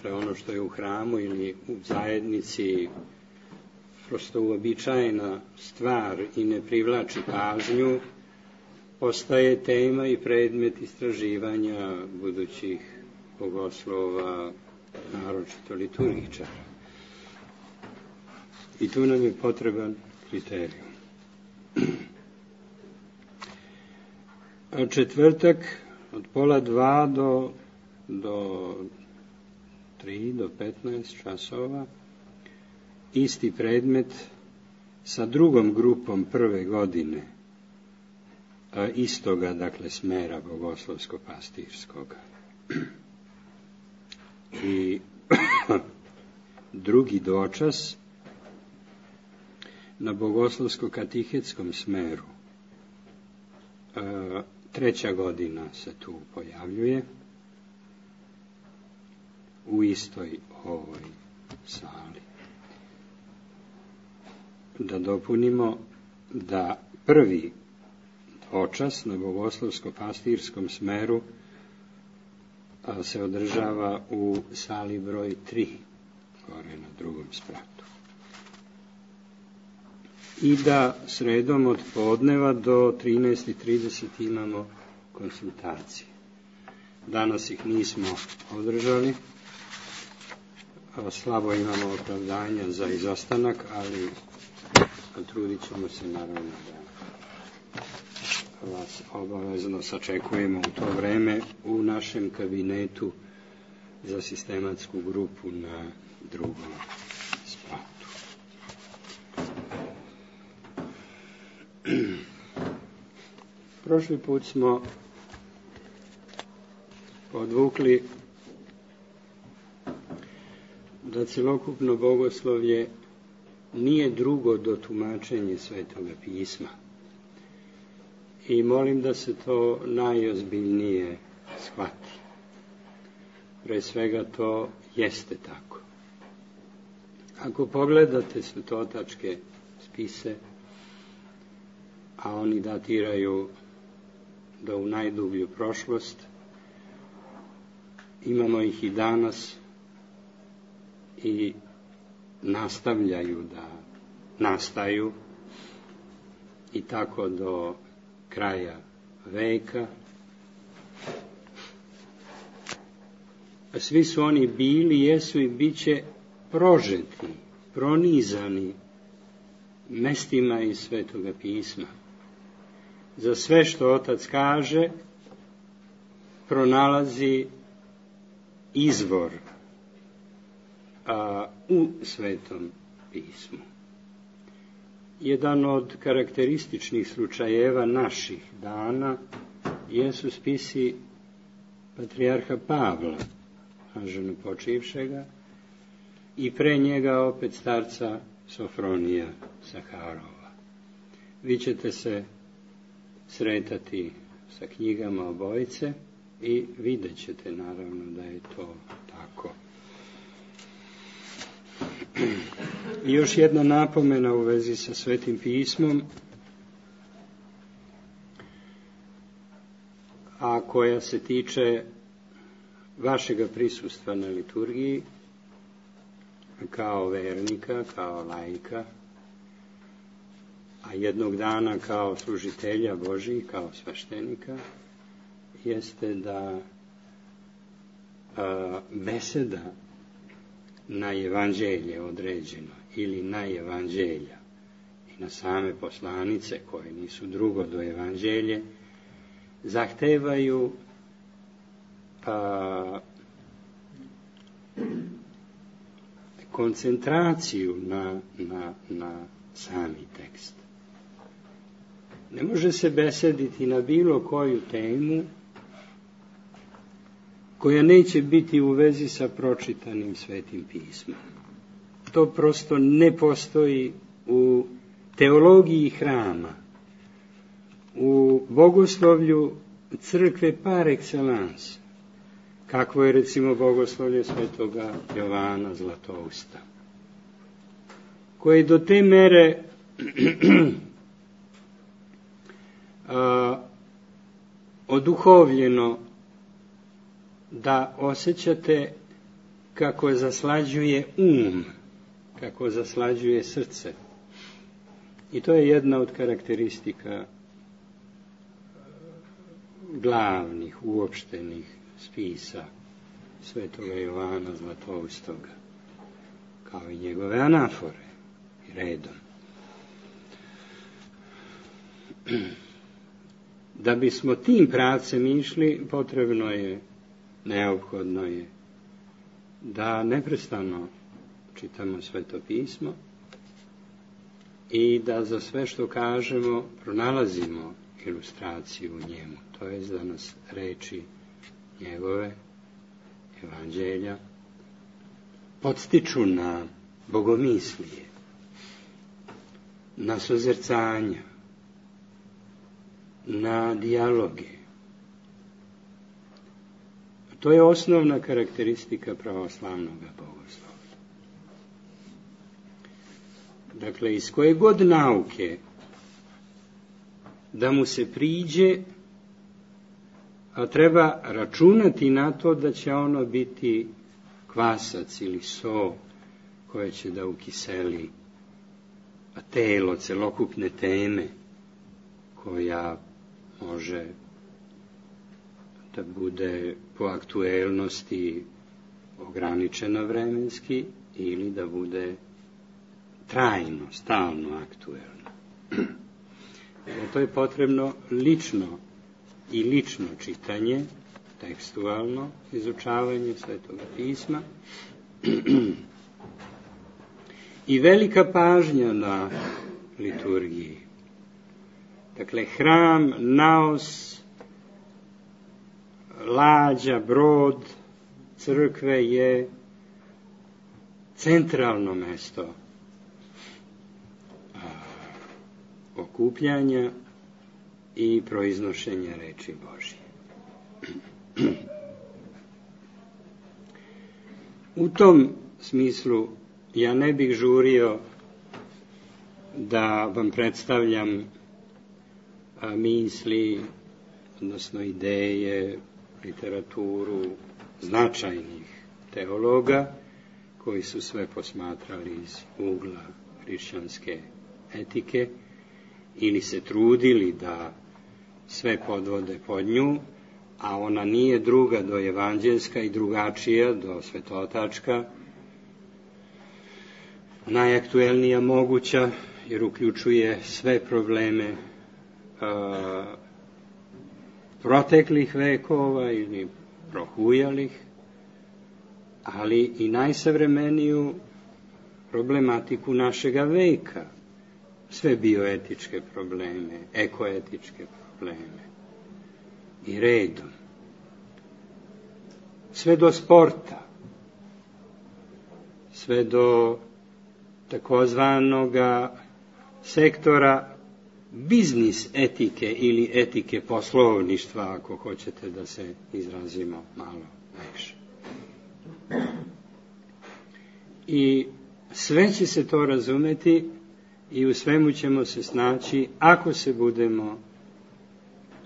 dakle ono što je u hramu ili u zajednici prosto uobičajena stvar i ne privlači pažnju, postaje tema i predmet istraživanja budućih bogoslova, naročito liturgičara. I tu nam je potreban kriterijum. A četvrtak od 1:30 do 3 do 15 časova, isti predmet sa drugom grupom prve godine istoga, dakle, smera bogoslovsko-pastirskoga. I drugi dočas na bogoslovsko-katihetskom smeru. Treća godina se tu pojavljuje u istoj ovoj sali. Da dopunimo da prvi dočas na bogoslovsko-pastirskom smeru se održava u sali broj 3, gore na drugom spratu. I da sredom od podneva do 13:30 imamo konsultacije. Danas ih nismo održali, slabo imamo opravdanja za izostanak, ali trudit ćemo se naravno da vas obavezno sačekujemo u to vreme u našem kabinetu za sistematsku grupu na drugom spratu. Prošli put smo podvukli da celokupno bogoslovlje nije drugo do tumačenja Svetoga pisma. I molim da se to najozbiljnije shvati. Pre svega to jeste tako. Ako pogledate svetotačke spise, a oni datiraju do u najdublju prošlost, imamo ih i danas i nastavljaju da nastaju i tako do kraja veka. Svi su oni bili, jesu i bit će prožeti, pronizani mestima iz Svetoga pisma. Za sve što Otac kaže, pronalazi izvor u Svetom pismu. Jedan od karakterističnih slučajeva naših dana jesu spisi patrijarha Pavla, blaženopočivšega, i pre njega opet starca Sofronija Saharova. Vi ćete se sretati sa knjigama obojice i vidjet ćete naravno da je to tako. I još jedna napomena u vezi sa Svetim pismom, a koja se tiče vašega prisustva na liturgiji kao vernika, kao laika, a jednog dana kao služitelja Božih, kao sveštenika, jeste da beseda na evanđelje određeno ili na evanđelja i na same poslanice koje nisu drugo do evanđelje zahtevaju koncentraciju na sami tekst. Ne može se besediti na bilo koju temu koja neće biti u vezi sa pročitanim Svetim pismom. To prosto ne postoji u teologiji hrama, u bogoslovlju crkve par excellence, kakvo je recimo bogoslovlje Svetoga Jovana Zlatousta, koje do te mere oduhovljeno da osjećate kako zaslađuje kako zaslađuje srce. I to je jedna od karakteristika glavnih, uopštenih spisa Svetoga Jovana Zlatoustoga, kao i njegove anafore i redom. Da bismo tim pravcem išli, potrebno je, neophodno je, da neprestano čitamo Sveto pismo i da za sve što kažemo pronalazimo ilustraciju u njemu. To je da nas reči njegove, evanđelja, podstiču na bogomislije, na sozercanja, na dijaloge. To je osnovna karakteristika pravoslavnog bogoslovlja. Dakle, iz koje god nauke da mu se priđe, a treba računati na to da će ono biti kvasac ili so koje će da ukiseli telo celokupne teme, koja može da bude po aktuelnosti ograničena vremenski ili da bude trajno, stalno aktuelno. To je potrebno lično čitanje, tekstualno izučavanje Svetoga pisma i velika pažnja na liturgiji. Dakle, hram, naos, lađa, brod, crkve je centralno mesto okupljanja i proiznošenja reči Božje. U tom smislu ja ne bih žurio da vam predstavljam misli, odnosno ideje, literaturu značajnih teologa koji su sve posmatrali iz ugla hrišćanske etike ili se trudili da sve podvode pod nju, a ona nije druga do evanđelska i drugačija do svetotačka, najaktuelnija moguća, jer uključuje sve probleme proteklih vekova ili prohujalih, ali i najsavremeniju problematiku našega veka, sve bioetičke probleme, ekoetičke probleme i redom, sve do sporta, sve do takozvanoga sektora biznis etike ili etike poslovništva, ako hoćete da se izrazimo malo više. I sve će se to razumeti i u svemu ćemo se snaći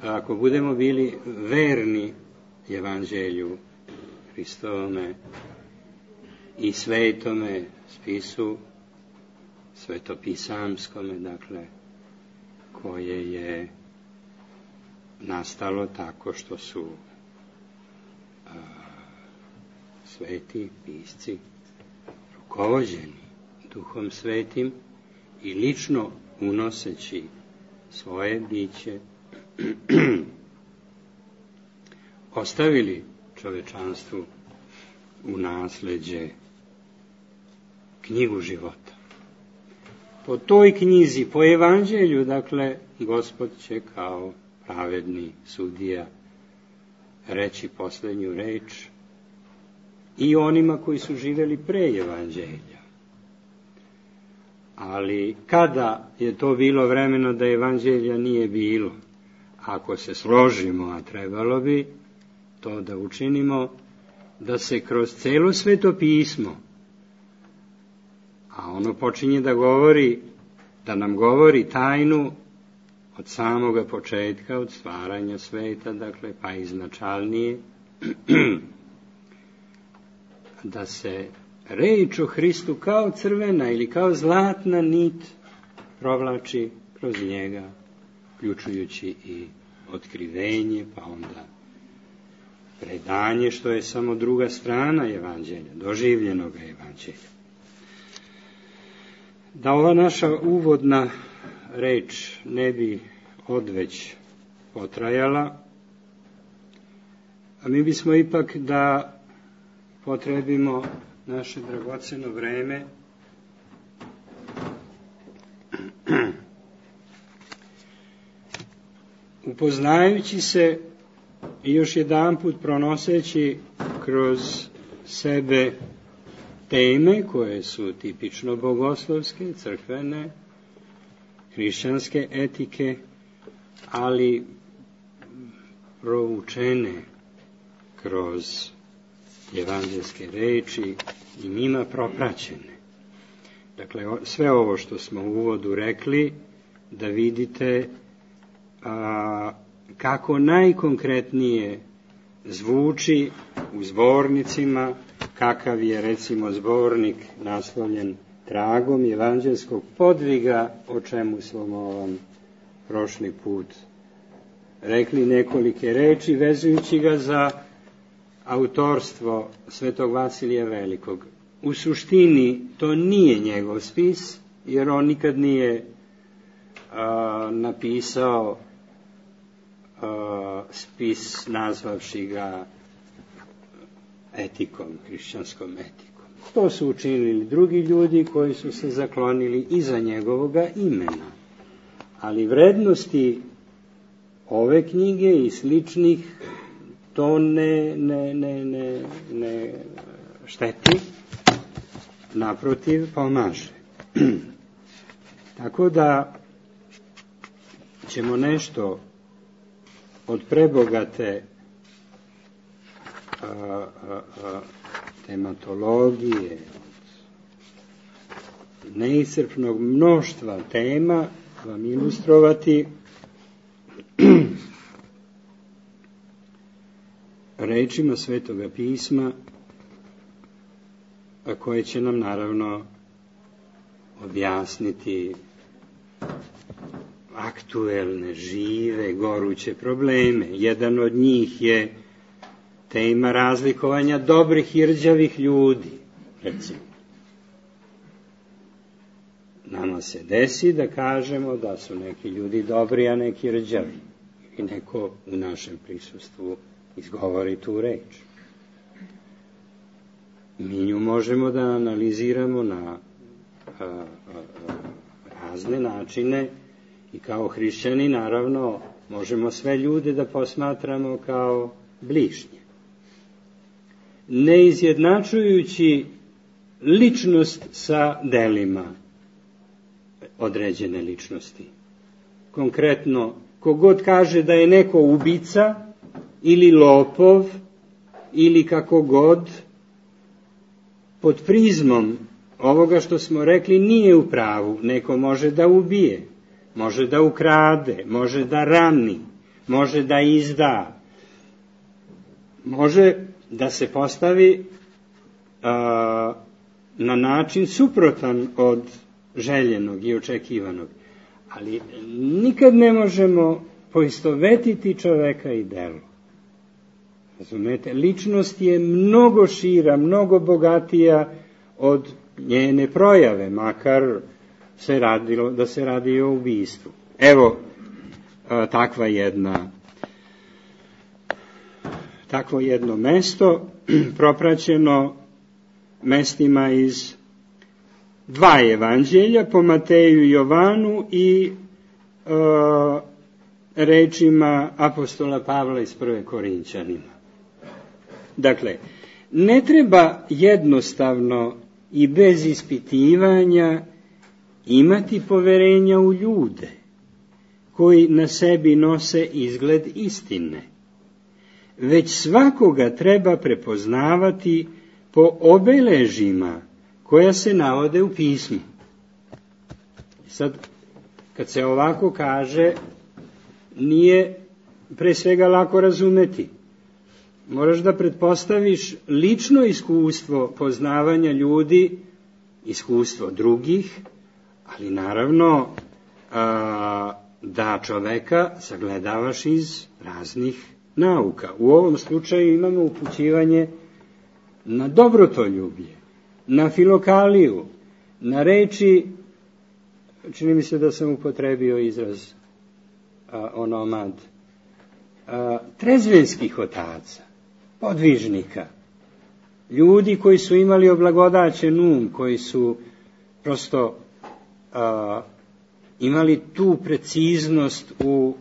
ako budemo bili verni evanđelju Hristovome i svetome spisu, svetopisamskome, dakle, koje je nastalo tako što su sveti pisci rukovođeni Duhom Svetim i lično unoseći svoje biće ostavili čovečanstvu u nasleđe knjigu života. Po toj knjizi, po evanđelju, dakle, Gospod će kao pravedni sudija reći posljednju reč i onima koji su živjeli pre evanđelja. Ali kada je to bilo vremeno da evanđelja nije bilo, ako se složimo, a trebalo bi to da učinimo, da se kroz celo Sveto pismo, a ono počinje da nam govori tajnu od samoga početka, od stvaranja sveta, dakle, pa iznačalnije, da se reč o Hristu kao crvena ili kao zlatna nit provlači kroz njega, uključujući i otkrivenje, pa onda predanje, što je samo druga strana evanđelja, doživljenog evanđelja. Da ova naša uvodna reč ne bi odveć potrajala, a mi bismo ipak da potrebimo naše dragoceno vreme upoznajući se i još jedanput pronoseći kroz sebe teme koje su tipično bogoslovske, crkvene, hrišćanske etike, ali provučene kroz evanđelske reči i njima propraćene. Dakle, sve ovo što smo u uvodu rekli, da vidite kako najkonkretnije zvuči u zbornicima, kakav je recimo zbornik naslovljen Tragom evanđelskog podviga, o čemu smo vam prošli put rekli nekolike reči, vezujući ga za autorstvo svetog Vasilija Velikog. U suštini to nije njegov spis, jer on nikad nije napisao spis nazvavši ga etikom, hrišćanskom etikom. To su učinili drugi ljudi koji su se zaklonili iza njegovoga imena. Ali vrednosti ove knjige i sličnih to ne šteti, naprotiv pomaže. Tako da ćemo nešto od prebogate tematologije, od neiscrpnog mnoštva tema vam ilustrovati rečima Svetoga pisma, a koje će nam naravno objasniti aktuelne, žive, goruće probleme. Jedan od njih je tema razlikovanja dobrih i rđavih ljudi, recimo. Nama se desi da kažemo da su neki ljudi dobri, a neki rđavi. I neko u našem prisustvu izgovori tu reč. Mi nju možemo da analiziramo na razne načine i kao hrišćani naravno možemo sve ljude da posmatramo kao bližnje. Ne izjednačujući ličnost sa delima određene ličnosti. Konkretno, kogod kaže da je neko ubica ili lopov ili kako god, pod prizmom ovoga što smo rekli nije u pravu. Neko može da ubije, može da ukrade, može da rani, može da izda, može da se postavi na način suprotan od željenog i očekivanog. Ali nikad ne možemo poistovetiti čoveka i delo. Razumete, ličnost je mnogo šira, mnogo bogatija od njene projave, makar da se radi o ubistvu. Evo, takvo jedno mesto, propraćeno mestima iz dva evanđelja, po Mateju i Jovanu i rečima apostola Pavla iz 1. Korinćanima. Dakle, ne treba jednostavno i bez ispitivanja imati poverenja u ljude koji na sebi nose izgled istine, već svakoga treba prepoznavati po obeležjima koja se navode u pismu. Sad, kad se ovako kaže, nije pre svega lako razumeti. moraš da pretpostaviš lično iskustvo poznavanja ljudi, iskustvo drugih, ali naravno da čoveka sagledavaš iz raznih nauka. U ovom slučaju imamo upućivanje na dobrotoljublje, na filokaliju, na reči, čini mi se da sam upotrebio izraz onomad, trezvenskih otaca, podvižnika, ljudi koji su imali oblagodaćen um, koji su prosto imali tu preciznost u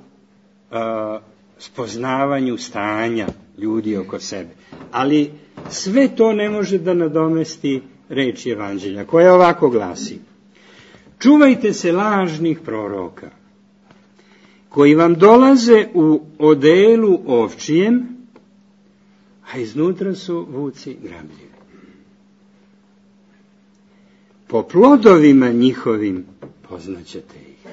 spoznavanju stanja ljudi oko sebe. Ali sve to ne može da nadomesti reč Evanđelja, koja ovako glasi: čuvajte se lažnih proroka, koji vam dolaze u odelu ovčijem, a iznutra su vuci grabljivi. Po plodovima njihovim poznaćete ih.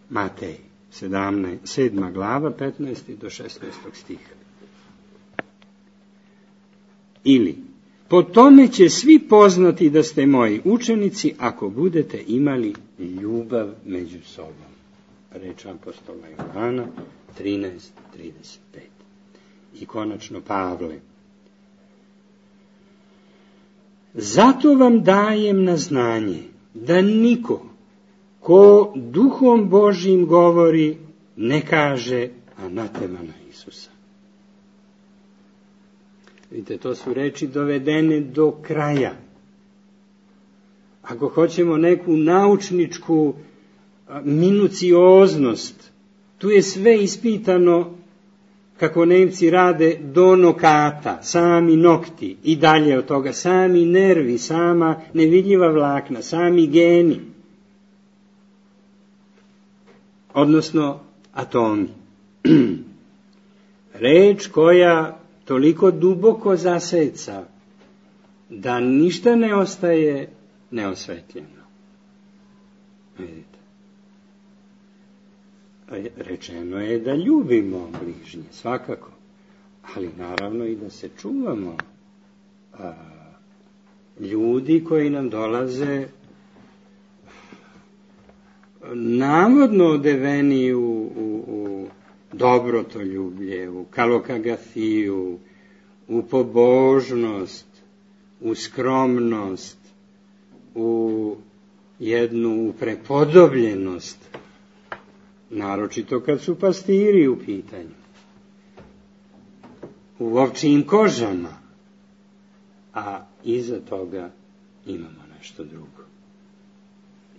Matej 7. glava, 15. do 16. stiha. Ili, po tome će svi poznati da ste moji učenici, ako budete imali ljubav među sobom. Reč apostola Jovana 13:35. I konačno Pavle: zato vam dajem na znanje da niko ko duhom Božjim govori ne kaže anatema na Isusa. Vidite, to su reči dovedene do kraja. Ako hoćemo neku naučničku minucioznost, tu je sve ispitano, kako Nemci rade, do nokata, sami nokti i dalje od toga, sami nervi, sama nevidljiva vlakna, sami geni, odnosno atomi. Reč koja toliko duboko zaseca da ništa ne ostaje neosvetljeno. Vidite. Rečeno je da ljubimo bližnje, svakako, ali naravno i da se čuvamo ljudi koji nam dolaze navodno odeveni u dobrotoljublje, u kalokagafiju, u pobožnost, u skromnost, u jednu prepodobljenost, naročito kad su pastiri u pitanju, u ovčijim kožama, a iza toga imamo nešto drugo.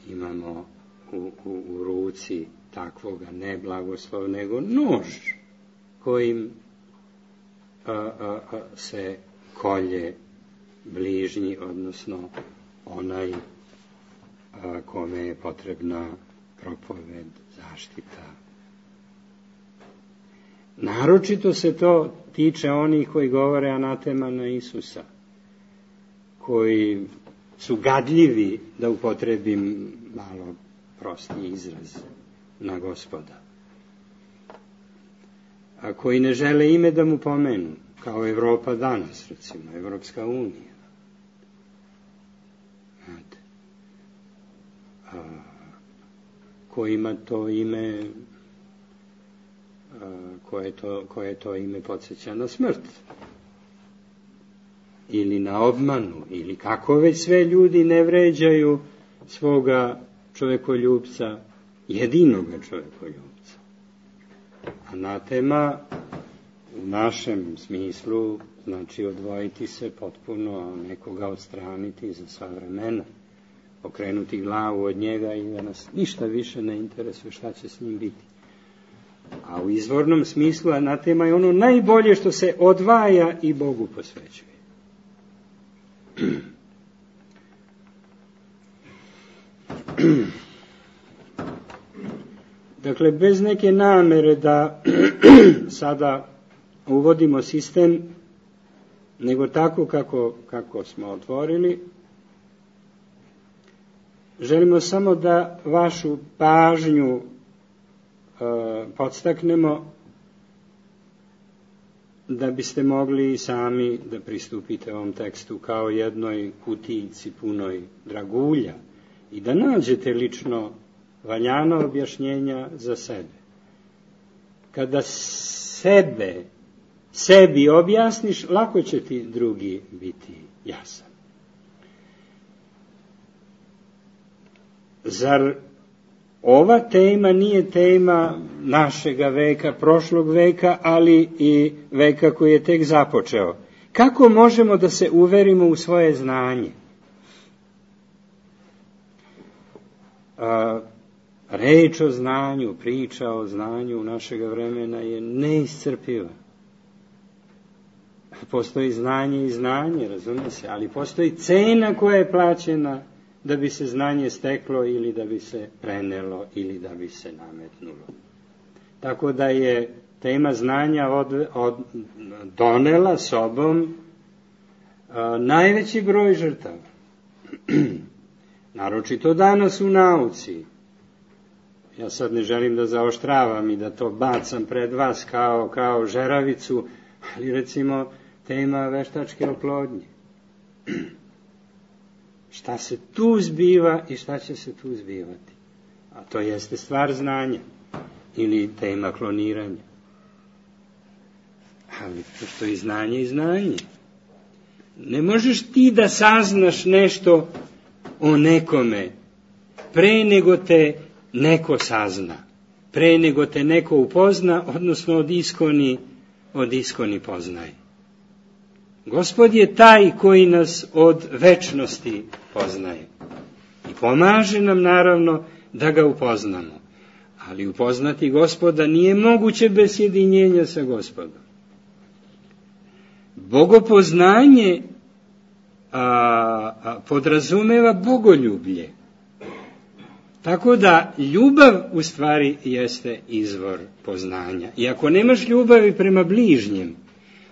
Imamo u ruci takvoga ne blagoslova, nego nož kojim se kolje bližnji, odnosno onaj kome je potrebna propoved, zaštita. Naročito se to tiče onih koji govore anatema na Isusa, koji su gadljivi, da upotrebim malo prosti izraz, na Gospoda, a koji ne žele ime da mu pomenu, kao Evropa danas, recimo, Evropska unija. Znate, kojima to ime, koje to ime podsjeća na smrt, ili na obmanu, ili kako već sve ljudi ne vređaju svoga čovekoljubca, jedinoga čovekoljubca. Anatema u našem smislu znači odvojiti se potpuno, nekoga odstraniti za sva vremena, okrenuti glavu od njega i da nas ništa više ne interesuje šta će s njim biti. A u izvornom smislu anatema je ono najbolje što se odvaja i Bogu posvećuje. Dakle, bez neke namere da sada uvodimo sistem, nego tako kako smo otvorili, želimo samo da vašu pažnju podstaknemo da biste mogli sami da pristupite ovom tekstu kao jednoj kutijici punoj dragulja i da nađete lično valjana objašnjenja za sebe. Kada sebi objasniš, lako će ti drugi biti jasan. Zar ova tema nije tema našega veka, prošlog veka, ali i veka koji je tek započeo? Kako možemo da se uverimo u svoje znanje? Reč o znanju, priča o znanju našega vremena je neiscrpiva. Postoji znanje i znanje, razumije se, ali postoji cena koja je plaćena da bi se znanje steklo ili da bi se prenelo ili da bi se nametnulo. Tako da je tema znanja donela sobom najveći broj žrtava. Naročito danas u nauci. Ja sad ne želim da zaoštravam i da to bacam pred vas kao žeravicu, ali recimo tema veštačke oplodnje. Šta se tu zbiva i šta će se tu zbivati? A to jeste stvar znanja ili tema kloniranja. Ali postoji znanje i znanje. Ne možeš ti da saznaš nešto o nekome pre nego te neko sazna, pre nego te neko upozna, odnosno od iskoni poznaje. Gospod je taj koji nas od večnosti poznaje i pomaže nam naravno da ga upoznamo. Ali upoznati Gospoda nije moguće bez sjedinjenja sa Gospodom. Bogopoznanje podrazumeva bogoljublje. Tako da ljubav u stvari jeste izvor poznanja. I ako nemaš ljubavi prema bližnjem,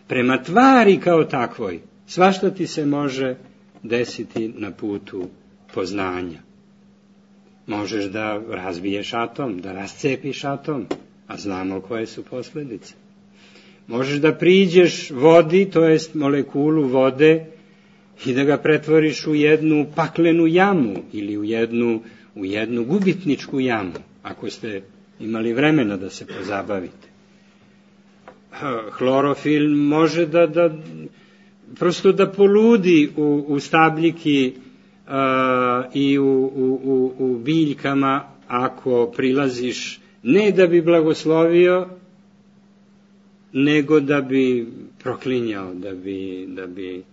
prema tvari kao takvoj, svašta ti se može desiti na putu poznanja. Možeš da razbiješ atom, da rascepiš atom, a znamo koje su posljedice. Možeš da priđeš vodi, to jest molekulu vode, i da ga pretvoriš u jednu paklenu jamu ili u jednu gubitničku jamu, ako ste imali vremena da se pozabavite. Hlorofil može prosto da poludi u stabljiki i u biljkama ako prilaziš ne da bi blagoslovio, nego da bi proklinjao, da bi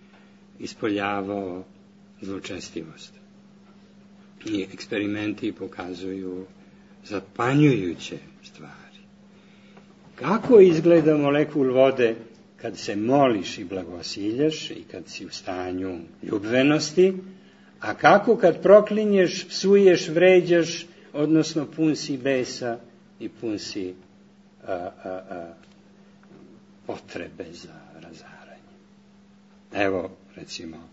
ispoljavao zločestivost. I eksperimenti pokazuju zapanjujuće stvari. Kako izgleda molekul vode kad se moliš i blagosiljaš i kad si u stanju ljubvenosti, a kako kad proklinješ, psuješ, vređaš, odnosno pun si besa i pun si potrebe za razaranje. Evo, recimo,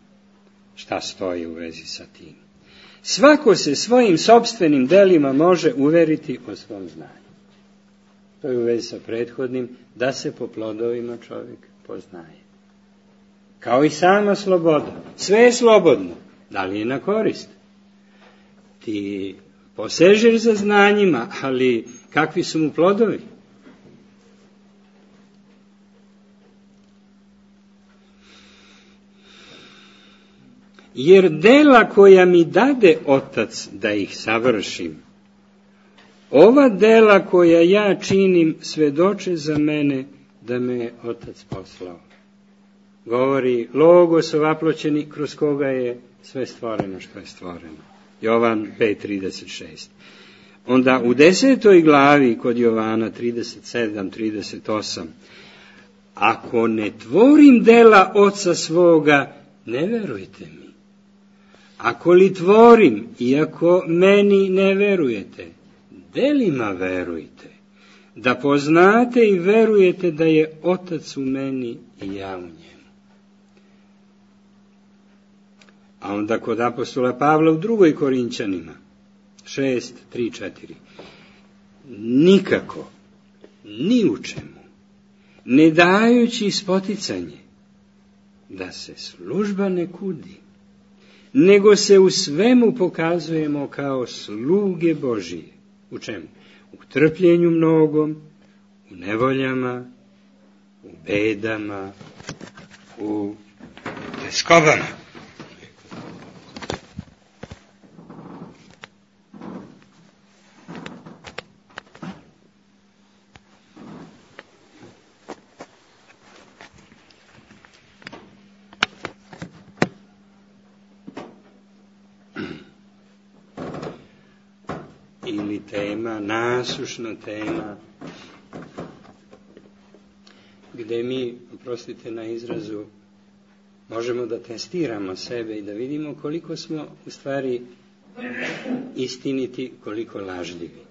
šta stoji u vezi sa tim. Svako se svojim sopstvenim delima može uveriti o svom znanju. To je u vezi sa prethodnim, da se po plodovima čovjek poznaje. Kao i sama sloboda. Sve je slobodno. Da li je na korist? Ti posežeš za znanjima, ali kakvi su mu plodovi? Jer dela koja mi dade Otac da ih savršim, ova dela koja ja činim svedoče za mene da me je Otac poslao. Govori Logos ovaploćeni kroz koga je sve stvoreno što je stvoreno. Jovan 5.36. Onda u 10. glavi kod Jovana 37.38. Ako ne tvorim dela Oca svoga, ne verujte mi. Ako li tvorim, iako meni ne verujete, delima verujte, da poznate i verujete da je Otac u meni i ja u njemu. A onda kod apostola Pavla u 2. Korinćanima 6.3.4. Nikako, ni u čemu, ne dajući spoticanje da se služba ne kudi, nego se u svemu pokazujemo kao sluge Božije. U čemu? U trpljenju mnogom, u nevoljama, u bedama, u teskobama. Ili tema, nasušna tema, gdje mi, oprostite na izrazu, možemo da testiramo sebe i da vidimo koliko smo u stvari istiniti, koliko lažljivi,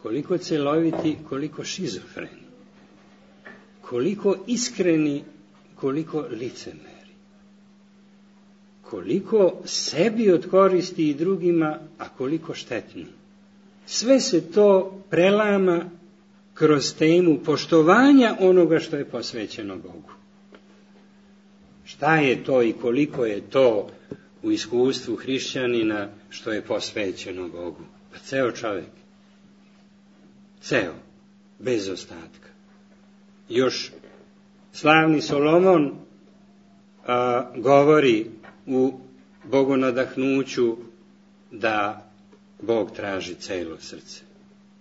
koliko celoviti, koliko šizofreni, koliko iskreni, koliko licemeri, koliko sebi od koristi i drugima, a koliko štetni. Sve se to prelama kroz temu poštovanja onoga što je posvećeno Bogu. Šta je to i koliko je to u iskustvu hrišćanina što je posvećeno Bogu? Pa ceo čovjek. Ceo. Bez ostatka. Još slavni Solomon govori u bogonadahnuću da Bog traži celo srce.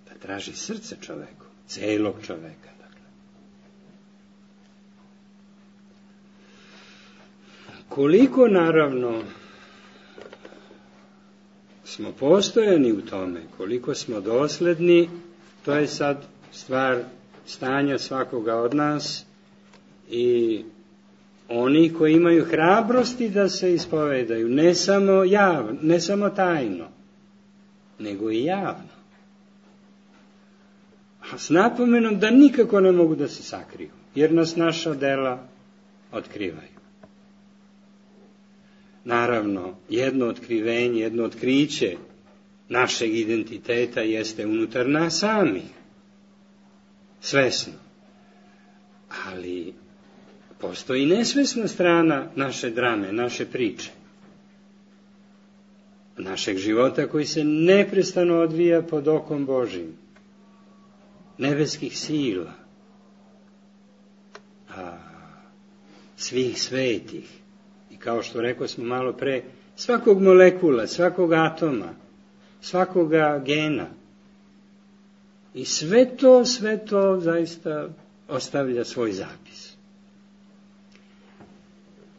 Da traži srce čoveku, celog čoveka. Dakle. Koliko naravno smo postojani u tome, koliko smo dosledni, to je sad stvar stanja svakoga od nas i oni koji imaju hrabrosti da se ispovedaju, ne samo javno, ne samo tajno, nego i javno. A s napomenom da nikako ne mogu da se sakriju, jer nas naša dela otkrivaju. Naravno, jedno otkrivenje, jedno otkriće našeg identiteta jeste unutar nas samih, svesno. Ali postoji nesvesna strana naše drame, naše priče, našeg života koji se neprestano odvija pod okom Božim, nebeskih sila, svih svetih. I kao što rekao smo malo pre, svakog molekula, svakog atoma, svakoga gena. I sve to zaista ostavlja svoj zapis.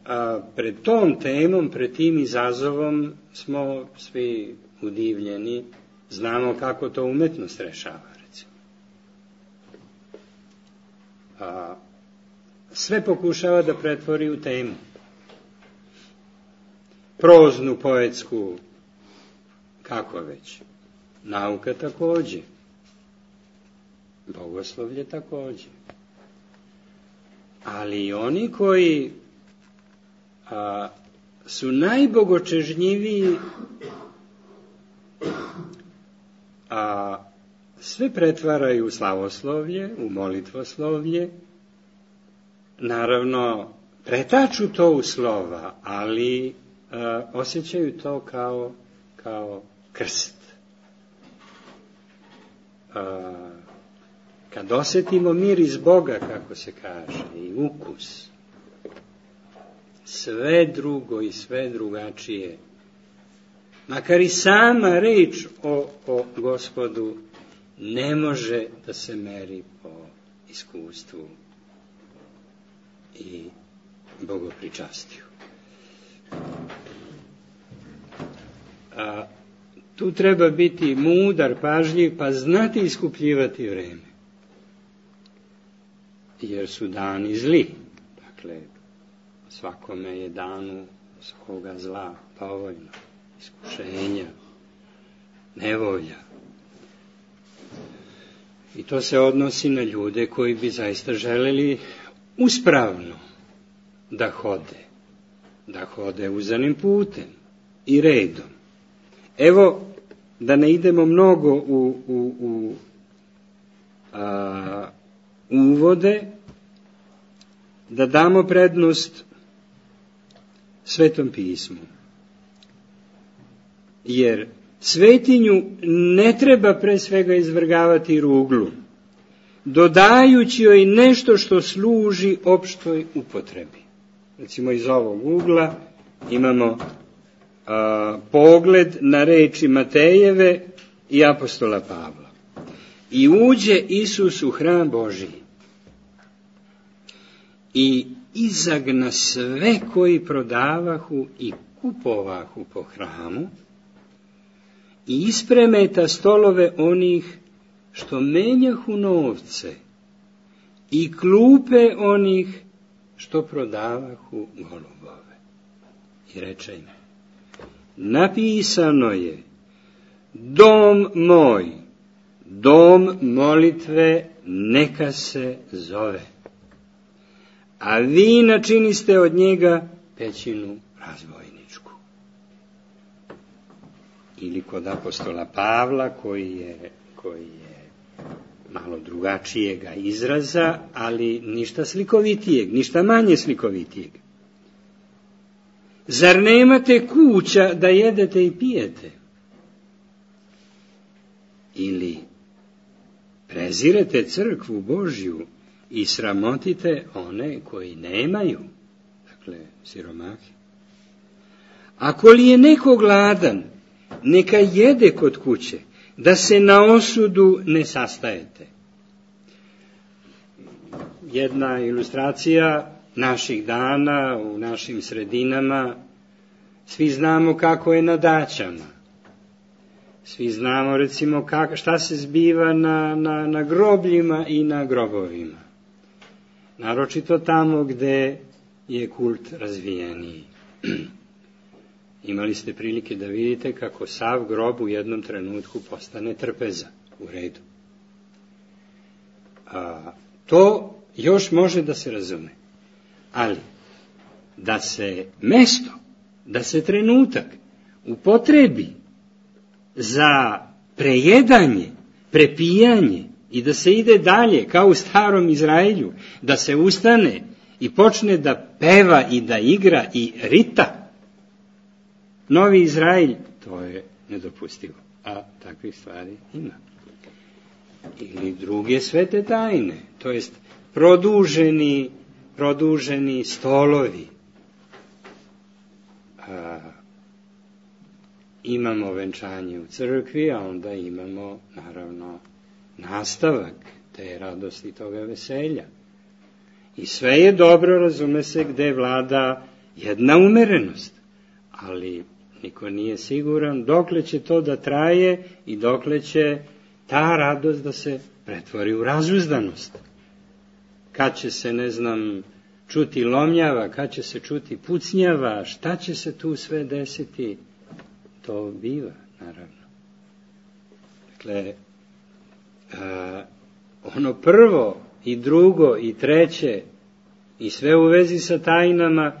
A pred tom temom, pred tim izazovom smo svi udivljeni, znamo kako to umetnost rešava, recimo. Sve pokušava da pretvori u temu. Proznu, poetsku, kako već. Nauka takođe. Bogoslovlje takođe. Ali i oni koji su najbogočežnjiviji, sve pretvaraju u slavoslovlje, u molitvoslovlje, naravno pretaču to u slova, ali osjećaju to kao krst. Kad osjetimo miris Boga, kako se kaže, i ukus, sve drugo i sve drugačije, makar i sama reč o Gospodu ne može da se meri po iskustvu i bogopričastiju. Tu treba biti mudar, pažljiv, pa znati iskupljivati vreme. Jer su dani zli. Dakle, svakome je danu svakoga zla, povoljno, iskušenja, nevolja. I to se odnosi na ljude koji bi zaista želeli uspravno da hode uzanim putem i redom. Evo, da ne idemo mnogo u uvode, da damo prednost Svetom pismu. Jer svetinju ne treba pre svega izvrgavati ruglu, dodajući joj nešto što služi opštoj upotrebi. Recimo iz ovog ugla imamo pogled na reči Matejeve i apostola Pavla. I uđe Isus u hram Božiji i izagna sve koji prodavahu i kupovahu po hramu i ispremeta stolove onih što menjahu novce i klupe onih što prodavahu golubove. I reče im, napisano je, dom moj, dom molitve neka se zove, a vi načiniste od njega pećinu razbojničku. Ili kod apostola Pavla koji je malo drugačijega izraza, ali ništa slikovitijeg, ništa manje slikovitijeg. Zar nemate kuća da jedete i pijete? Ili prezirete crkvu Božju i sramotite one koji nemaju, dakle siromahi. Ako li je neko gladan, neka jede kod kuće, da se na osudu ne sastajete. Jedna ilustracija naših dana u našim sredinama, svi znamo kako je na daćama. Svi znamo recimo šta se zbiva na grobljima i na grobovima. Naročito tamo gde je kult razvijeniji. Imali ste prilike da vidite kako sav grob u jednom trenutku postane trpeza, u redu. To još može da se razume. Ali, da se mesto, da se trenutak upotrebi za prejedanje, prepijanje i da se ide dalje, kao u starom Izraelju, da se ustane i počne da peva i da igra i rita, Novi Izrael, to je nedopustivo, a takvih stvari ima. Ili druge svete tajne, to jest produženi stolovi. Imamo venčanje u crkvi, a onda imamo, naravno, nastavak te radosti, toga veselja. I sve je dobro, razume se, gde vlada jedna umerenost, ali niko nije siguran dokle će to da traje i dokle će ta radost da se pretvori u razuzdanost. Kad će se, čuti lomljava, kad će se čuti pucnjava, šta će se tu sve desiti, to biva, naravno. Dakle, ono prvo i drugo i treće i sve u vezi sa tajnama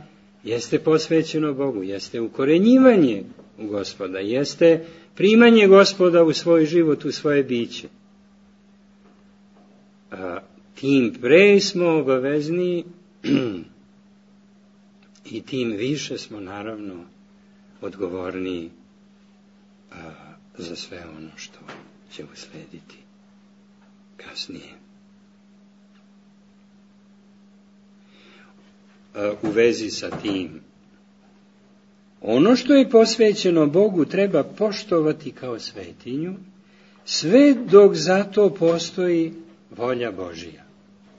jeste posvećeno Bogu, jeste ukorenjivanje u Gospoda, jeste primanje Gospoda u svoj život, u svoje biće. Tim pre smo obavezni i tim više smo naravno odgovorni za sve ono što će uslediti kasnije. U vezi sa tim, ono što je posvećeno Bogu treba poštovati kao svetinju, sve dok za to postoji volja Božija.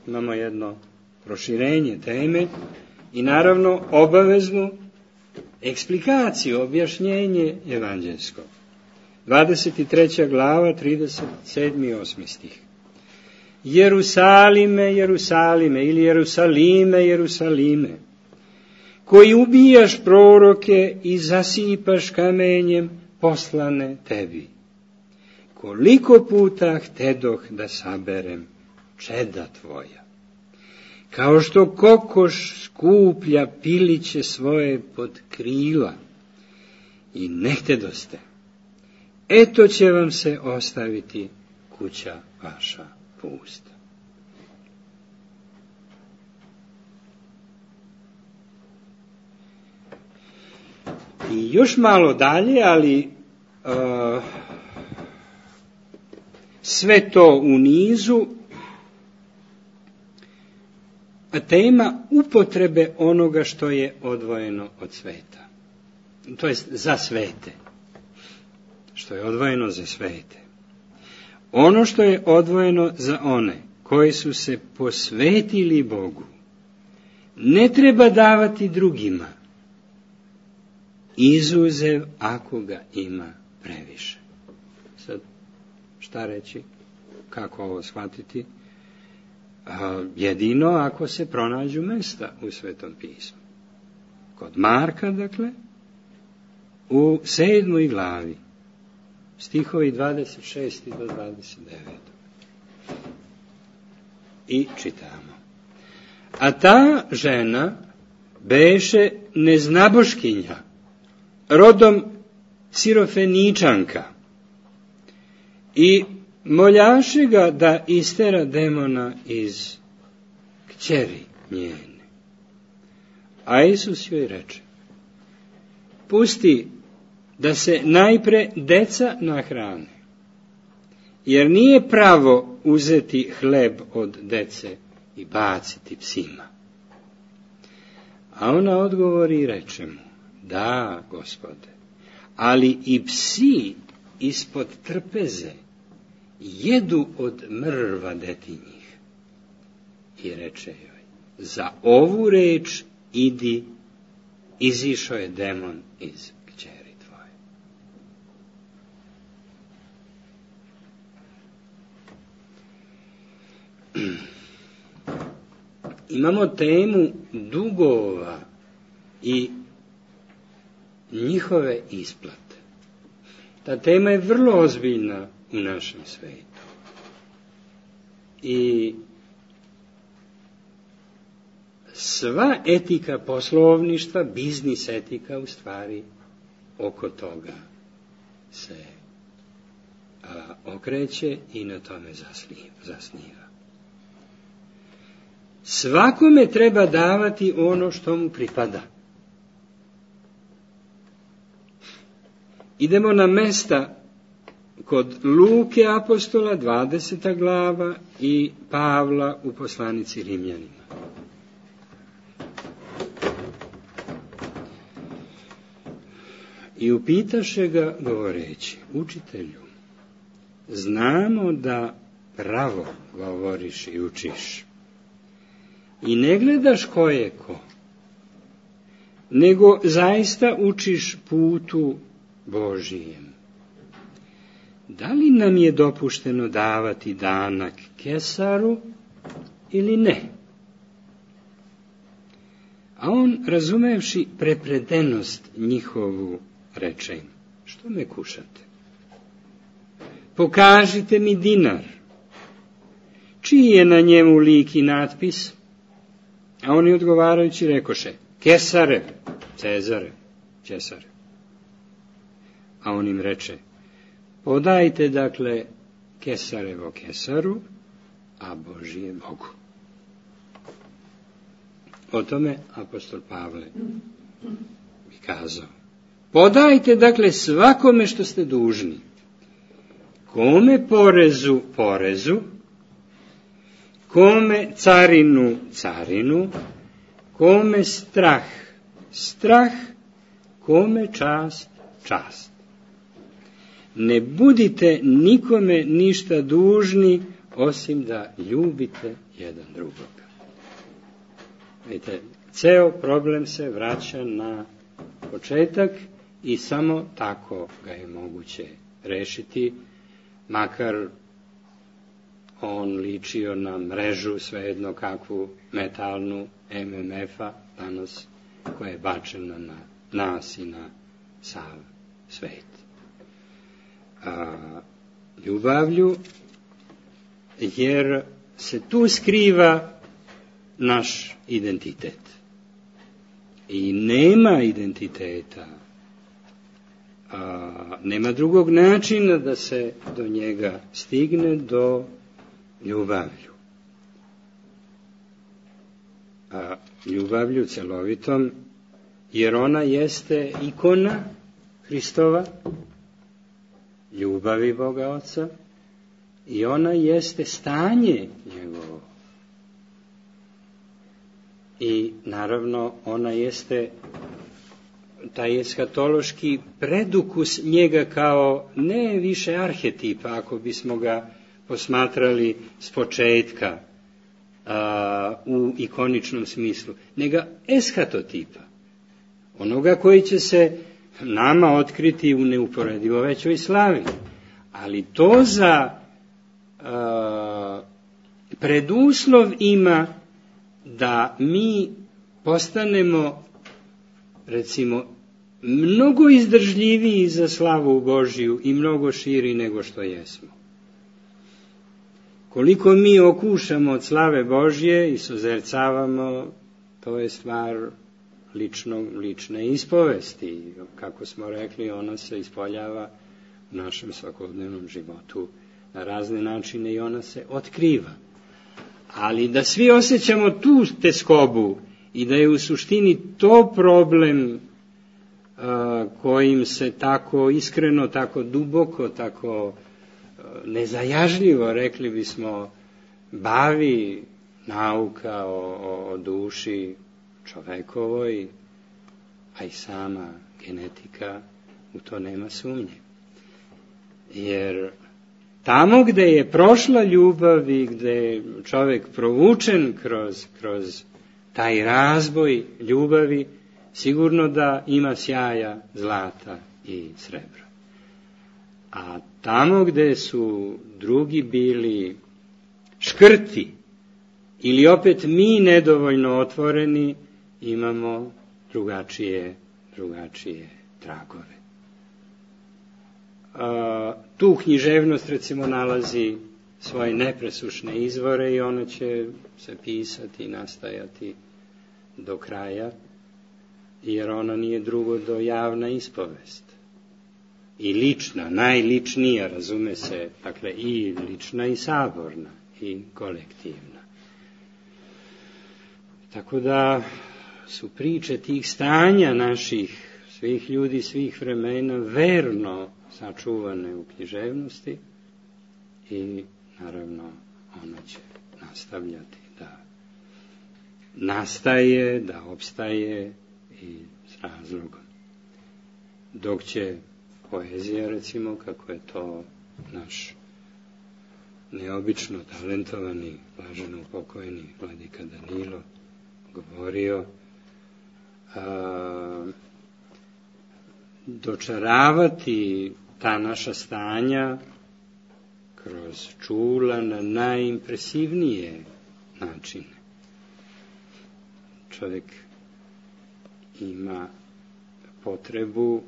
Imamo jedno proširenje teme i naravno obaveznu eksplikaciju, objašnjenje evanđelsko. 23. glava, 37. i 8. stih. Jerusalime, Jerusalime, ili Jerusalime, Jerusalime, koji ubijaš proroke i zasipaš kamenjem poslane tebi. Koliko puta htedoh da saberem čeda tvoja, kao što kokoš skuplja piliće svoje pod krila, i ne htedoste, eto će vam se ostaviti kuća vaša pusta. I još malo dalje, ali sve to u nizu, tema upotrebe onoga što je odvojeno od sveta. To jest za svete. Što je odvojeno za svete. Ono što je odvojeno za one koji su se posvetili Bogu, ne treba davati drugima, izuzev ako ga ima previše. Sad, šta reći? Kako ovo shvatiti? Jedino ako se pronađu mesta u Svetom pismu. Kod Marka, dakle, u 7. glavi, stihovi 26. do 29. I čitamo. A ta žena beše neznaboškinja, rodom Sirofeničanka, i moljaše ga da istera demona iz kćeri njene. A Isus joj reče, pusti da se najpre deca nahrane, jer nije pravo uzeti hleb od dece i baciti psima. A ona odgovori i reče mu, da, Gospode, ali i psi ispod trpeze jedu od mrva detinjih. I reče joj, za ovu reč idi, izišao je demon iz kćeri tvoje. Imamo temu dugova i njihove isplate. Ta tema je vrlo ozbiljna u našem svetu. I sva etika poslovništva, biznis etika, u stvari oko toga se okreće i na tome zasniva. Svakome treba davati ono što mu pripada. Idemo na mesta kod Luke apostola, 20. glava, i Pavla u poslanici Rimljanima. I upitaše ga govoreći, učitelju, znamo da pravo govoriš i učiš i ne gledaš ko je ko, nego zaista učiš putu Božijem. Da li nam je dopušteno davati danak Kesaru ili ne? A on, razumevši prepredenost njihovu, reče im, što me kušate? Pokažite mi dinar. Čiji je na njemu lik i natpis? A oni odgovarajući rekoše, Kesarev, Cezarev, Cesarev. A on im reče, podajte dakle Kesarevo Kesaru, a Božije Bogu. O tome apostol Pavle bi kazao, podajte dakle svakome što ste dužni, kome porezu porezu, kome carinu carinu, kome strah strah, kome čast čast. Ne budite nikome ništa dužni, osim da ljubite jedan drugoga. Vidite, ceo problem se vraća na početak i samo tako ga je moguće rešiti, makar on ličio na mrežu, svejedno kakvu metalnu MMF-a danas, koja je bačena na nas i na sav svet. Ljubavlju, jer se tu skriva naš identitet. I nema identiteta, nema drugog načina da se do njega stigne, do ljubavlju. Ljubavlju celovitom jer ona jeste ikona Hristova, ljubavi Boga Oca, i ona jeste stanje njegovo. I naravno ona jeste taj eskatološki predukus njega kao ne više arhetipa, ako bismo ga posmatrali s početka u ikoničnom smislu, nego eskatotipa, onoga koji će se nama otkriti u neuporedivo većoj slavi. Ali to za preduslov ima da mi postanemo, recimo, mnogo izdržljiviji za slavu Božiju i mnogo širi nego što jesmo. Koliko mi okušamo od slave Božje i suzercavamo, to je stvar lične ispovesti. Kako smo rekli, ona se ispoljava u našem svakodnevnom životu na razne načine i ona se otkriva. Ali da svi osjećamo tu teskobu i da je u suštini to problem kojim se tako iskreno, tako duboko, tako nezajažljivo, rekli bismo, bavi nauka o duši čovekovoj, a i sama genetika, u to nema sumnje. Jer tamo gde je prošla ljubav i gde je čovek provučen kroz taj razboj ljubavi, sigurno da ima sjaja zlata i srebra. A tamo gde su drugi bili škrti ili opet mi nedovoljno otvoreni, imamo drugačije tragove. Tu književnost, recimo, nalazi svoje nepresušne izvore i ono će se pisati i nastajati do kraja, jer ona nije drugo do javna ispovest. I lična, najličnija, razume se, dakle i lična i saborna i kolektivna. Tako da su priče tih stanja naših, svih ljudi, svih vremena, verno sačuvane u književnosti i naravno ona će nastavljati da nastaje, da opstaje i s razlogom. Dok će poezija, recimo, kako je to naš neobično talentovani, blaženo pokojni vladika Danilo govorio, dočaravati ta naša stanja kroz čula na najimpresivnije načine. Čovjek ima potrebu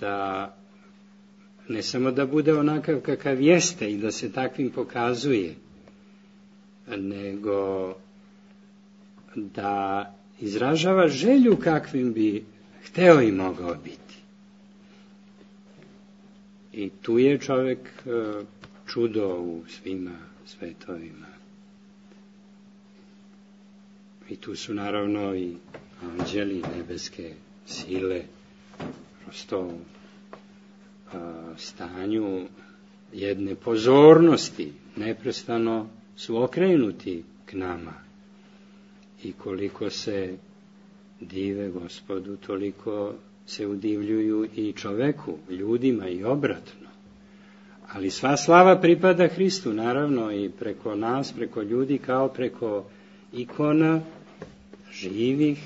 da ne samo da bude onakav kakav jeste i da se takvim pokazuje, nego da izražava želju kakvim bi hteo i mogao biti. I tu je čovjek čudo u svima svetovima. I tu su naravno i anđeli, nebeske sile, prosto u stanju jedne pozornosti, neprestano su okrenuti k nama. I koliko se dive Gospodu, toliko se udivljuju i čoveku, ljudima i obratno. Ali sva slava pripada Hristu, naravno, i preko nas, preko ljudi, kao preko ikona živih,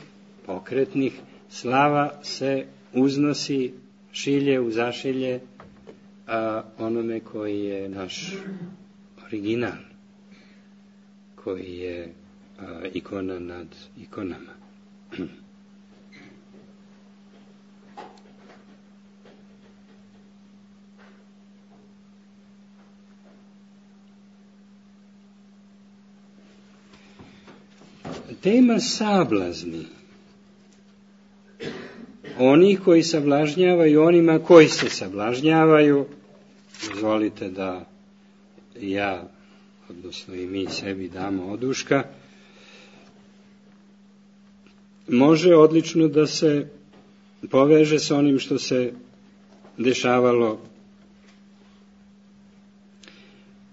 pokretnih, slava se uznosi, šilje u zašilje onome koji je naš original, koji je ikona nad ikonama. Tema sablazni. Oni koji sablažnjavaju onima koji se sablažnjavaju, dozvolite da ja, odnosno i mi sebi damo oduška. može odlično da se poveže s onim što se dešavalo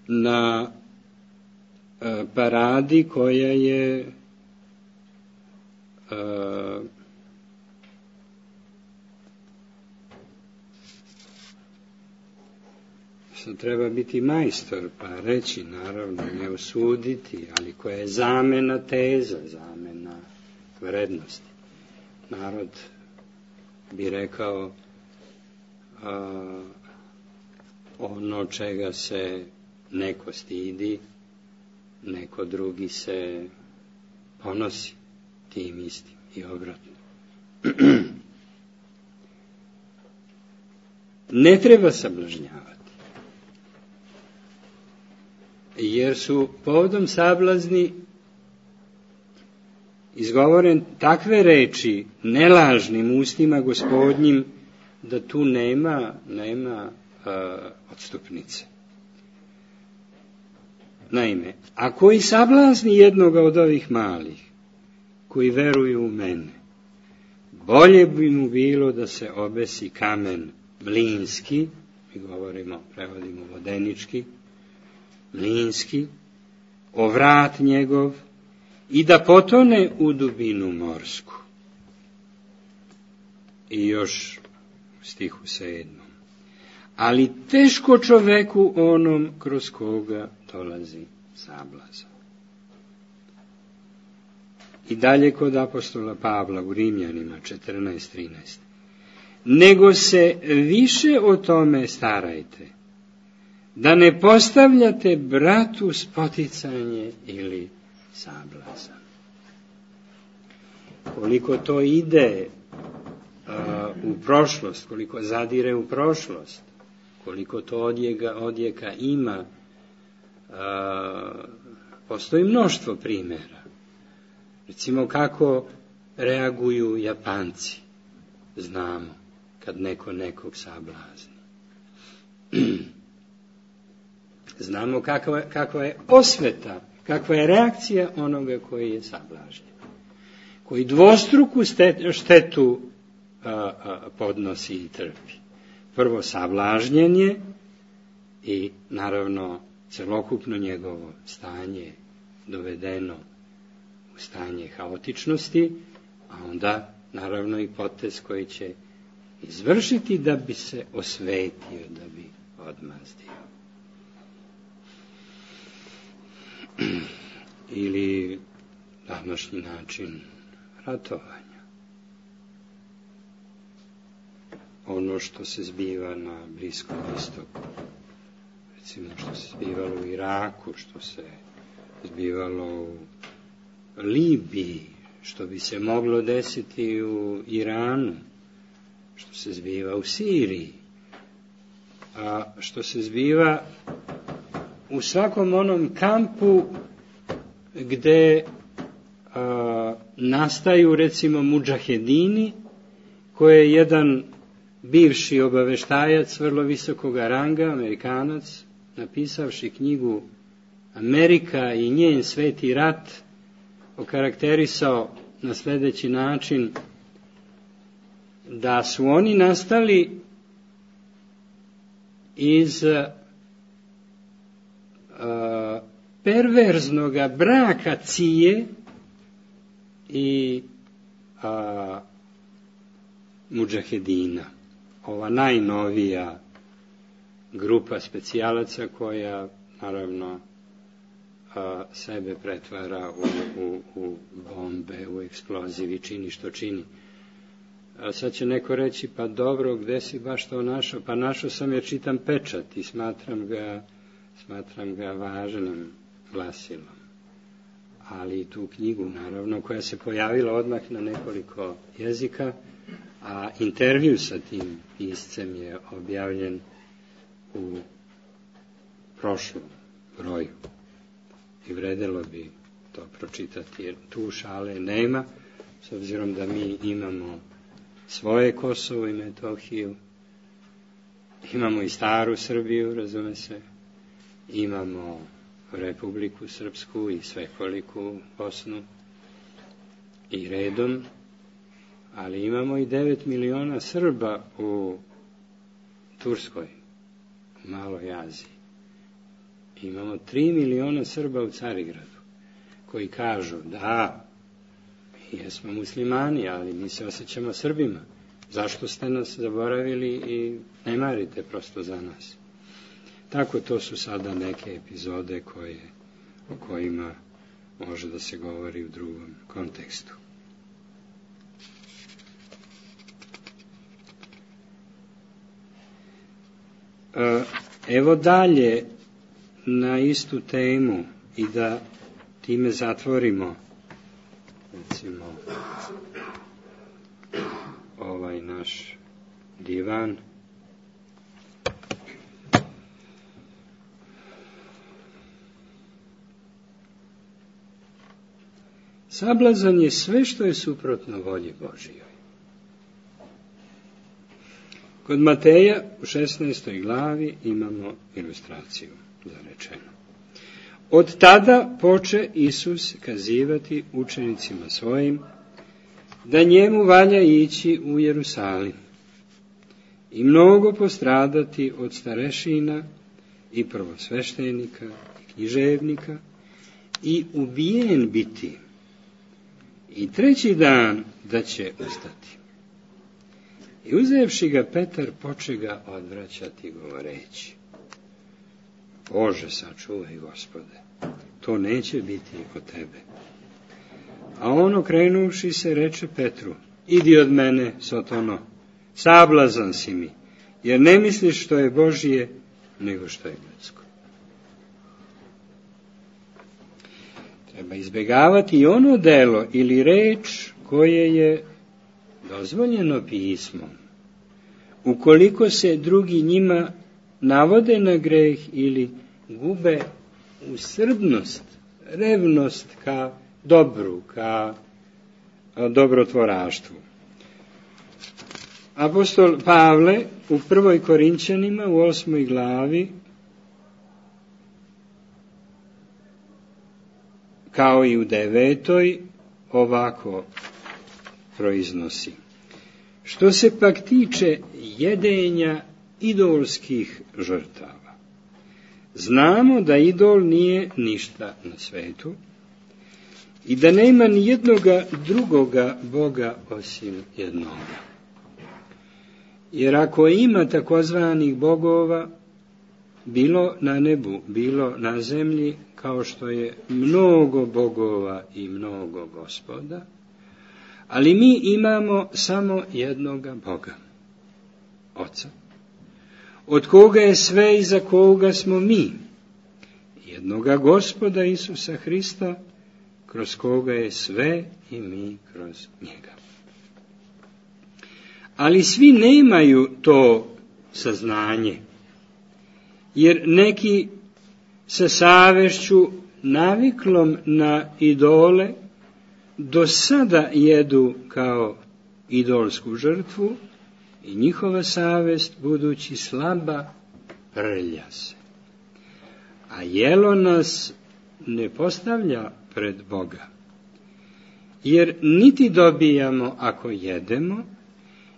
na paradi koja je sad treba biti majstor pa reći, naravno ne osuditi, ali koja je zamena teza, zamena vrednosti. Narod bi rekao ono čega se neko stidi, neko drugi se ponosi tim istim i obratno. Ne treba sablažnjavati, jer su povodom sablazni izgovoren takve reči nelažnim ustima Gospodnjim da tu nema odstupnice. Naime, ako i sablazni jednoga od ovih malih koji veruju u mene, bolje bi mu bilo da se obesi kamen mlinski, mi prevodimo vodenički, mlinski, o vrat njegov i da potone u dubinu morsku. I još u stihu 7. Ali teško čoveku onom kroz koga dolazi sablazan. I dalje kod apostola Pavla u Rimljanima 14:13. Nego se više o tome starajte, da ne postavljate bratu spoticanje ili sablazan. Koliko to ide u prošlost, koliko zadire u prošlost, koliko to odjeka ima, postoji mnoštvo primjera. Recimo kako reaguju Japanci, znamo, kad neko nekog sablazni. Znamo kakva je osveta, kakva je reakcija onoga koji je sablažnjen, koji dvostruku štetu podnosi i trpi. Prvo sablažnjenje i naravno celokupno njegovo stanje dovedeno u stanje haotičnosti, a onda naravno i potez koji će izvršiti da bi se osvetio, da bi odmazdio. Ili današnji način ratovanja. Ono što se zbiva na Bliskom istoku, recimo što se zbivalo u Iraku, što se zbivalo u Libiji, što bi se moglo desiti u Iranu, što se zbiva u Siriji, a što se zbiva u svakom onom kampu gde nastaju recimo mudžahedini, koje je jedan bivši obaveštajac vrlo visokoga ranga, Amerikanac, napisavši knjigu Amerika i njen sveti rat, okarakterisao na sljedeći način, da su oni nastali iz perverznoga braka Cije i mudžahedina. Ova najnovija grupa specijalaca koja naravno sebe pretvara u bombe, u eksplozivi, čini što čini. Sad će neko reći, pa dobro, gde si baš to našao? Pa našao sam jer čitam pečat i smatram ga važnim glasilom. Ali i tu knjigu, naravno, koja se pojavila odmah na nekoliko jezika, a intervju sa tim piscem je objavljen u prošlom broju. I vredelo bi to pročitati, jer tu šale nema, s obzirom da mi imamo svoje Kosovo i Metohiju, imamo i staru Srbiju, razume se, imamo Republiku Srpsku i svekoliku Bosnu i redom, ali imamo i 9 miliona Srba u Turskoj, u Maloj Aziji. Imamo 3 miliona Srba u Carigradu, koji kažu da, mi jesmo muslimani, ali mi se osjećamo Srbima. Zašto ste nas zaboravili i ne marite prosto za nas? Tako, to su sada neke epizode o kojima može da se govori u drugom kontekstu. Evo dalje na istu temu i da time zatvorimo, recimo, ovaj naš divan. Sablazan je sve što je suprotno volji Božijoj. Kod Mateja u 16. glavi imamo ilustraciju za rečeno. Od tada poče Isus kazivati učenicima svojim da njemu valja ići u Jerusalim i mnogo postradati od starešina i prvosveštenika i književnika i ubijen biti i 3. dan da će ustati. I uzevši ga Petar, poče ga odvraćati govoreći: Bože, sačuvaj, Gospode, to neće biti od tebe. A on, okrenuvši se, reče Petru: Idi od mene, Sotono, sablazan si mi, jer ne misliš što je Božije, nego što je ljudsko. Treba izbjegavati i ono delo ili reč koje je dozvoljeno pismom, ukoliko se drugi njima navode na greh ili gube usrdnost, revnost ka dobru, ka dobrotvoraštvu. Apostol Pavle u 1. Korinćanima u 8. glavi, kao i u 9. ovako proiznosi: Što se pak tiče jedenja idolskih žrtava, znamo da idol nije ništa na svetu i da nema ni jednoga drugoga Boga osim jednoga. Jer ako ima takozvanih bogova, bilo na nebu, bilo na zemlji, kao što je mnogo bogova i mnogo gospoda, ali mi imamo samo jednoga Boga, Oca, od koga je sve i za koga smo mi, jednoga Gospoda Isusa Hrista, kroz koga je sve i mi kroz njega. Ali svi nemaju to saznanje, jer neki sa savešću naviklom na idole do sada jedu kao idolsku žrtvu i njihova savest, budući slaba, prlja se. A jelo nas ne postavlja pred Boga, jer niti dobijamo ako jedemo,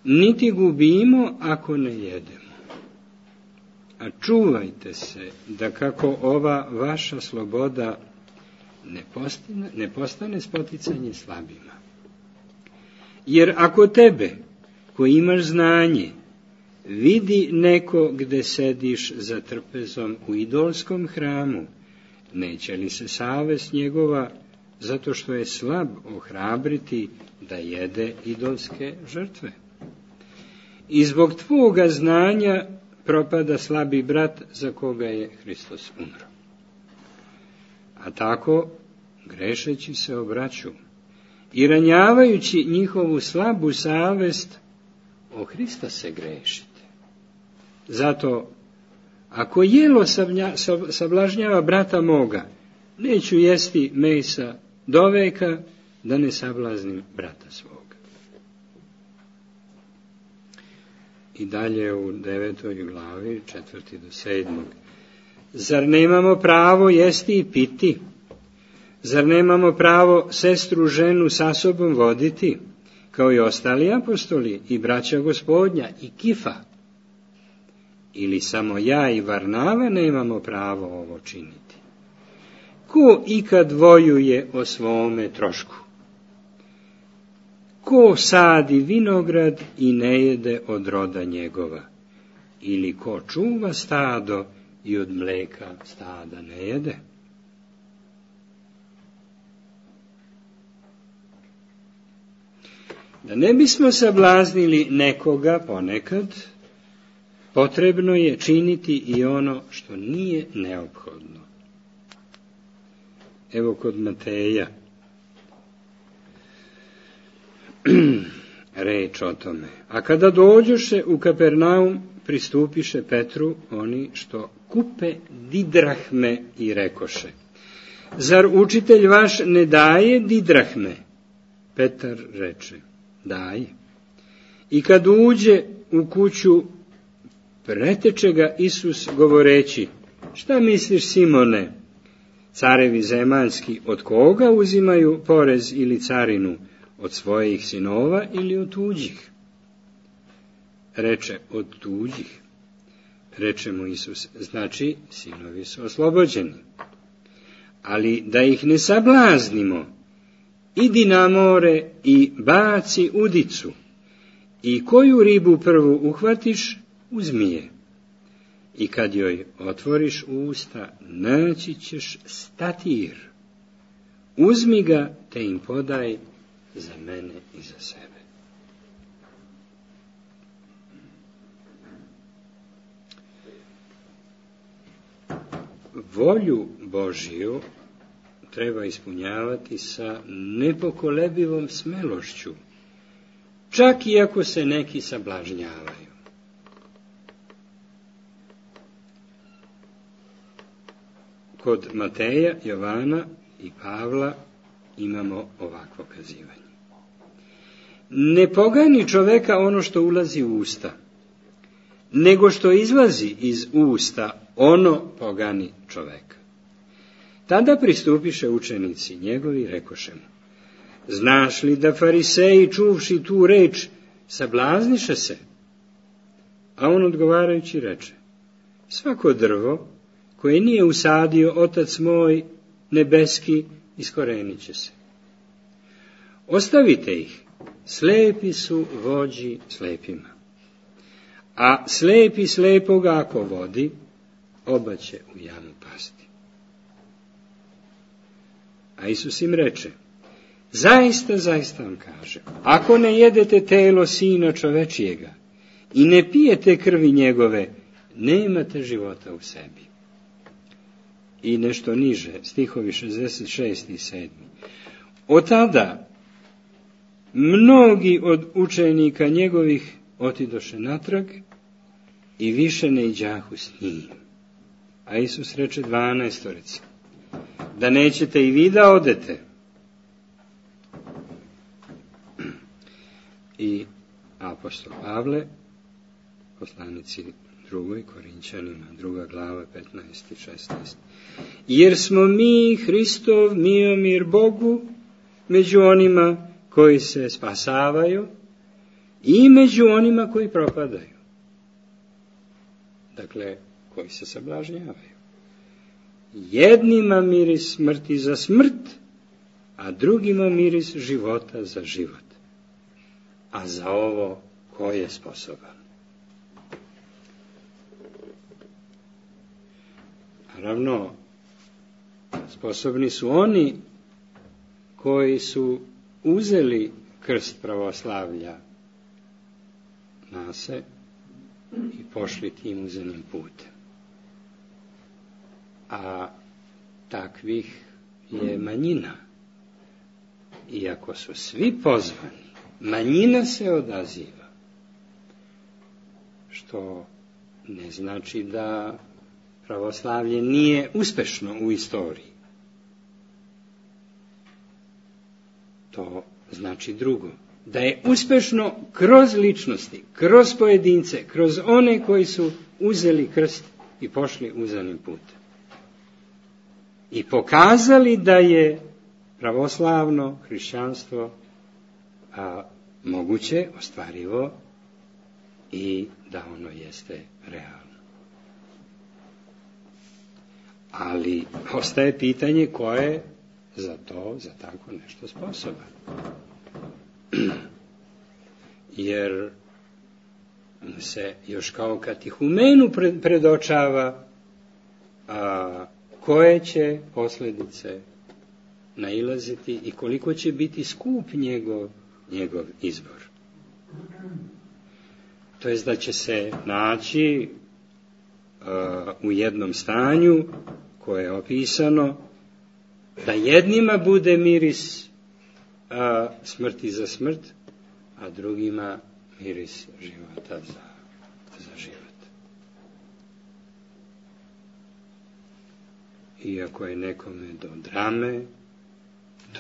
niti gubimo ako ne jedemo. A čuvajte se da kako ova vaša sloboda ne postane spoticanje slabima. Jer ako tebe, koji imaš znanje, vidi neko gde sediš za trpezom u idolskom hramu, neće li se savest njegova, zato što je slab, ohrabriti da jede idolske žrtve? I zbog tvoga znanja propada slabi brat za koga je Hristos umro. A tako, grešeći se obraću i ranjavajući njihovu slabu savest, o Hrista se grešite. Zato, ako jelo sablažnjava brata moga, neću jesti mesa doveka, da ne sablaznim brata svoga. I dalje u 9. glavi, 4. do 7. Zar nemamo pravo jesti i piti? Zar nemamo pravo sestru ženu sa sobom voditi? kao i ostali apostoli i braća Gospodnja i Kifa? Ili samo ja i Varnava nemamo pravo ovo činiti? Ko ikad vojuje o svome trošku? Ko sadi vinograd i ne jede od roda njegova? Ili ko čuva stado i od mleka stada ne jede? Da ne bismo sablaznili nekoga ponekad, potrebno je činiti i ono što nije neophodno. Evo kod Mateja reč o tome. A kada dođoše u Kapernaum, pristupiše Petru oni što kupe didrahme i rekoše: zar učitelj vaš ne daje didrahme? Petar reče: daje. I kad uđe u kuću, preteče ga Isus govoreći: šta misliš, Simone, carevi zemaljski od koga uzimaju porez ili carinu, od svojih sinova ili od tuđih? Reče: od tuđih. Reče mu Isus: znači, sinovi su oslobođeni. Ali da ih ne sablaznimo, idi na more i baci udicu, i koju ribu prvu uhvatiš, uzmi je. I kad joj otvoriš usta, naći ćeš statir. Uzmi ga, te im podaj za mene i za sebe. Volju Božiju treba ispunjavati sa nepokolebivom smelošću, čak i ako se neki sablažnjavaju. Kod Mateja, Jovana i Pavla imamo ovakvo kazivanje. Ne pogani čoveka ono što ulazi u usta, nego što izlazi iz usta, ono pogani čoveka. Tada pristupiše učenici njegovi, rekoše mu: znaš li da fariseji, čuvši tu reč, sablazniše se? A on odgovarajući reče: svako drvo koje nije usadio Otac moj nebeski, iskorenit će se. Ostavite ih, slepi su vođi slepima. A slepi slepoga ako vodi, oba će u jamu pasti. A Isus im reče: zaista, zaista vam kažem, ako ne jedete telo Sina čovečijega i ne pijete krvi njegove, nemate života u sebi. I nešto niže, stihovi 66. i 7. Od tada mnogi od učenika njegovih otidoše natrag i više ne iđahu s njim. A Isus reče 12. da nećete i vi da odete. I apostol Pavle, poslanici 2. Korinćanima, 2. glava, 15. i 16. Jer smo mi Hristov miomir Bogu među onima koji se spasavaju i među onima koji propadaju. Dakle, koji se sablažnjavaju. Jednima miris smrti za smrt, a drugima miris života za život. A za ovo ko je sposoban? Naravno, sposobni su oni koji su uzeli krst pravoslavlja na se i pošli tim uzenim putem. A takvih je manjina. Iako su svi pozvani, manjina se odaziva. Što ne znači da pravoslavlje nije uspešno u istoriji. To znači drugo. Da je uspešno kroz ličnosti, kroz pojedince, kroz one koji su uzeli krst i pošli uzanim putem. I pokazali da je pravoslavno hrišćanstvo moguće, ostvarivo i da ono jeste realno. Ali ostaje pitanje ko je za tako nešto sposoban. Jer se još kao katihumenu predočava koje će posljedice nailaziti i koliko će biti skup njegov izbor. To jest da će se naći u jednom stanju koje je opisano, da jednima bude miris smrti za smrt, a drugima miris života za život. Iako je nekome do drame,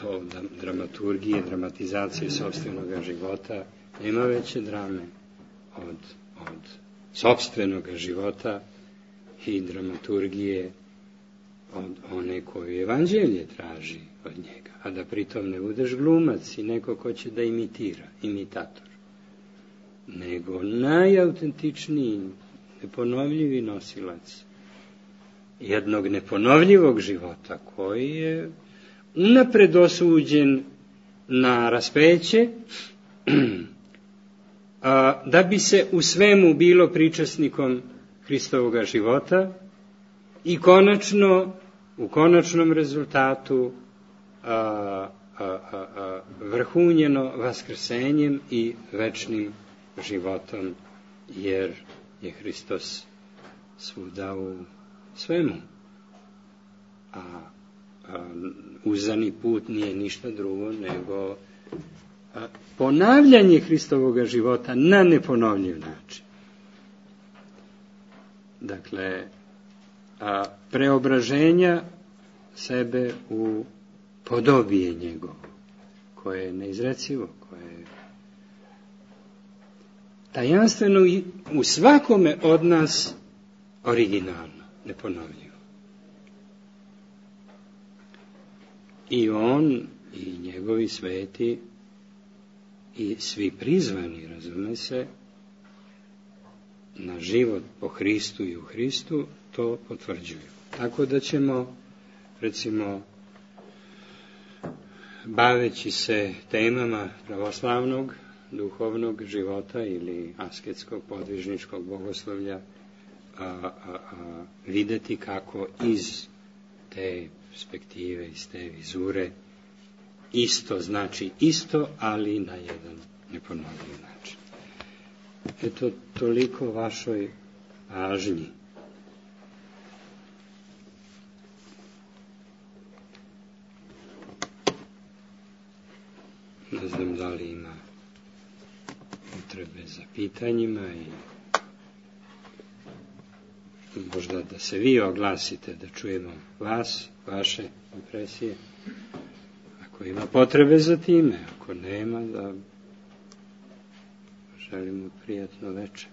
do dramaturgije, dramatizacije sopstvenoga života, nema veće drame od sopstvenoga života i dramaturgije od one koju evanđelje traži od njega, a da pritom ne budeš glumac i neko ko će da imitira, imitator, nego najautentičniji, neponovljivi nosilac jednog neponovljivog života koji je unapred osuđen na raspeće, da bi se u svemu bilo pričasnikom Hristovoga života i u konačnom rezultatu vrhunjeno vaskrsenjem i večnim životom, jer je Hristos svuda u svemu. A uzani put nije ništa drugo nego ponavljanje Hristovoga života na neponovljiv način. Dakle, preobraženja sebe u podobije njegovo, koje je neizrecivo, koje je tajanstveno u svakome od nas originalno, neponovljivo. I on i njegovi sveti i svi prizvani, razume se, na život po Hristu i u Hristu, to potvrđuju. Tako da ćemo, recimo, baveći se temama pravoslavnog, duhovnog života ili asketskog, podvižničkog bogoslovlja, videti kako iz te perspektive, iz te vizure, isto znači isto, ali na jedan neponovljiv način. Eto, toliko vašoj pažnji. Ne znam da li ima potrebe za pitanjima i možda da se vi oglasite, da čujemo vas, vaše impresije. Ako ima potrebe za time, ako nema, da želimo prijatno večer.